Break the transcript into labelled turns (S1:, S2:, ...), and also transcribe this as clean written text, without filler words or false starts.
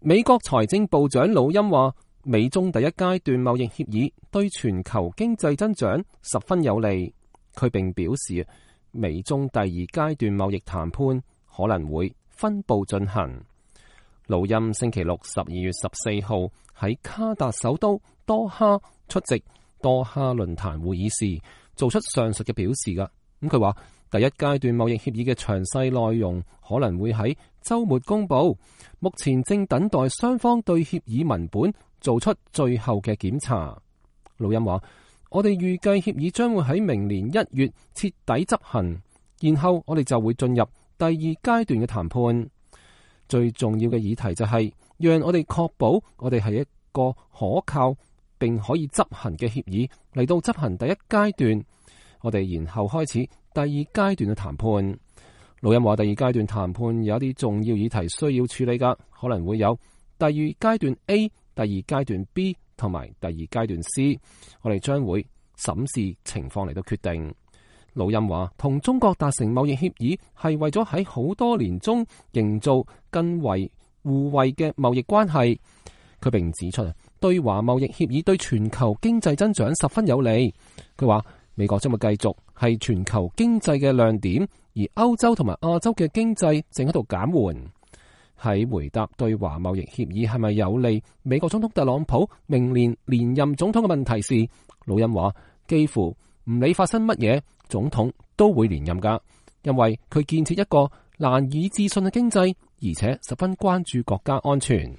S1: 美國財政部長魯欽話，美中第一階段貿易協議對全球經濟增長十分有利。佢並表示，美中第二階段貿易談判可能會分步進行。魯欽星期六12月14號喺卡達首都多哈出席多哈論壇會議時，做出上述嘅表示㗎。佢話第一階段貿易協議嘅詳細內容可能會喺週末公佈，目前正等待雙方對協議文本做出最後嘅檢查。魯欽話：我哋預計協議將會喺明年1月徹底執行，然後我哋就會進入第二階段嘅談判。最重要嘅議題就係讓我哋確保我哋係一個可靠並可以執行嘅協議嚟到執行第一階段，我哋然後開始第二階段嘅談判。魯欽話：第二階段談判有一啲重要議題需要處理㗎，可能會有第二階段 A、第二階段 B 同埋第二階段 C， 我哋將會審視情況嚟到決定。魯欽話：同中國達成貿易協議係為咗喺好多年中營造更為互惠嘅貿易關係。佢並指出，對華貿易協議對全球經濟增長十分有利。佢話美國將會繼續係全球經濟嘅亮點，而歐洲同埋亞洲嘅經濟正喺度減緩。喺回答對華貿易協議係咪有利美國總統特朗普明年連任總統嘅問題時，魯欽話幾乎唔理發生乜嘢，總統都會連任㗎，因為佢建設一個難以置信嘅經濟，而且十分關注國家安全。